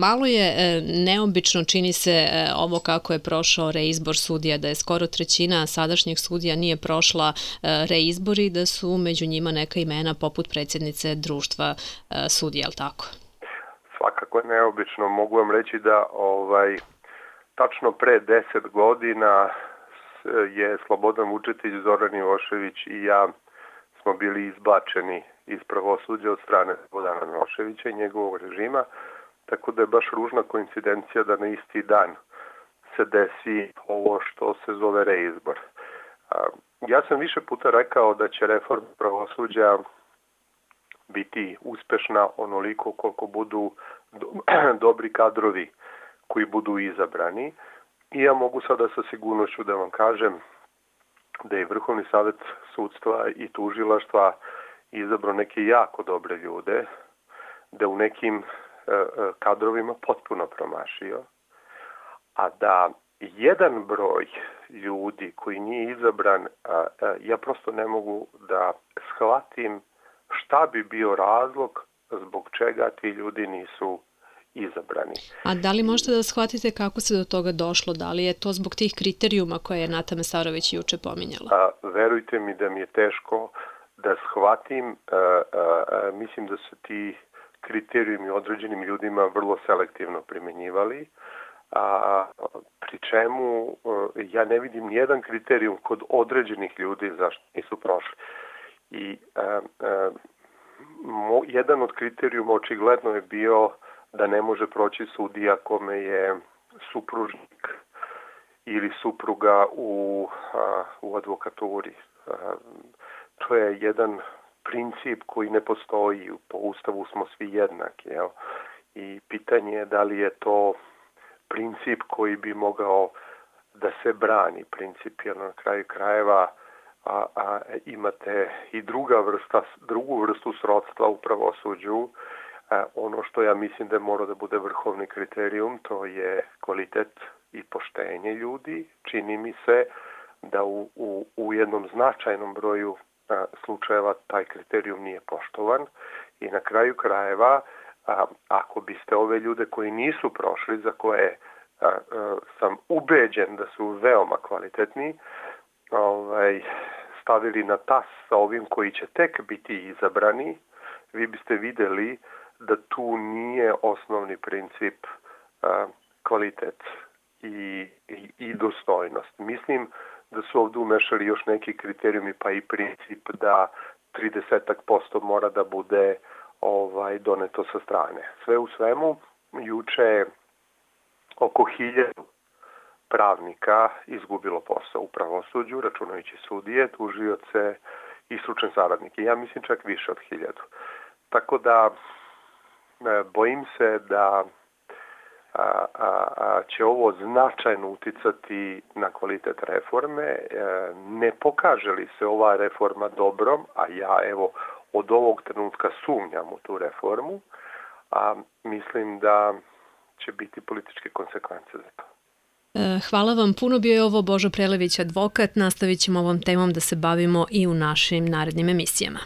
Malo je neobično, čini se, ovo kako je prošao reizbor sudija, da je skoro trećina sadašnjih sudija nije prošla reizbor i da su među njima neka imena poput predsjednice društva sudija, ali tako? Svakako je neobično. Mogu vam reći da tačno pre 10 godina je Slobodan Vučetić, Zoran Milošević i ja smo bili izbačeni iz pravosuđa od strane Slobodana Miloševića i njegovog režima, tako da je baš ružna koincidencija da na isti dan se desi ovo što se zove reizbor. Ja sam više puta rekao da će reforma pravosuđa biti uspešna onoliko koliko budu dobri kadrovi koji budu izabrani. I ja mogu sada sa sigurnošću da vam kažem da je Vrhovni savet sudstva i tužilaštva izabrao neke jako dobre ljude, da u nekim kadrovima potpuno promašio, a da jedan broj ljudi koji nije izabran, ja prosto ne mogu da shvatim šta bi bio razlog zbog čega ti ljudi nisu izabrani. A da li možete da shvatite kako se do toga došlo? Da li je to zbog tih kriterijuma koje je Nata Mesarović juče pominjala? Verujte mi da mi je teško da shvatim. Mislim da su ti kriterijumi određenim ljudima vrlo selektivno primenjivali, pri čemu ja ne vidim nijedan kriterijum kod određenih ljudi zašto nisu prošli. I jedan od kriterijuma očigledno je bio da ne može proći sudija kome je supružnik ili supruga u advokaturi. To je jedan princip koji ne postoji. Po Ustavu smo svi jednaki. I pitanje je da li je to princip koji bi mogao da se brani. Principijalno na kraju krajeva imate i drugu vrstu srodstva u pravosuđu. Ono što ja mislim da mora da bude vrhovni kriterijum, to je kvalitet i poštenje ljudi. Čini mi se da u jednom značajnom broju slučajeva taj kriterijum nije poštovan i na kraju krajeva, ako biste ove ljude koji nisu prošli, za koje sam ubeđen da su veoma kvalitetni, stavili na tas sa ovim koji će tek biti izabrani, vi biste videli da tu nije osnovni princip kvalitet i dostojnost. Mislim da su ovdje umešali još neki kriterijumi, pa i princip da 30% mora da bude doneto sa strane. Sve u svemu, juče je oko 1000 pravnika izgubilo posao u pravosuđu, računajući sudije, tužioce i stručne saradnike. Ja mislim čak više od 1000. Tako da bojim se da će ovo značajno uticati na kvalitet reforme. Ne pokaže li se ova reforma dobrom, a ja od ovog trenutka sumnjam u tu reformu, mislim da će biti političke konsekvence za to. Hvala vam puno. Bio je ovo Božo Prelević, advokat. Nastavit ćemo ovom temom da se bavimo i u našim narednim emisijama.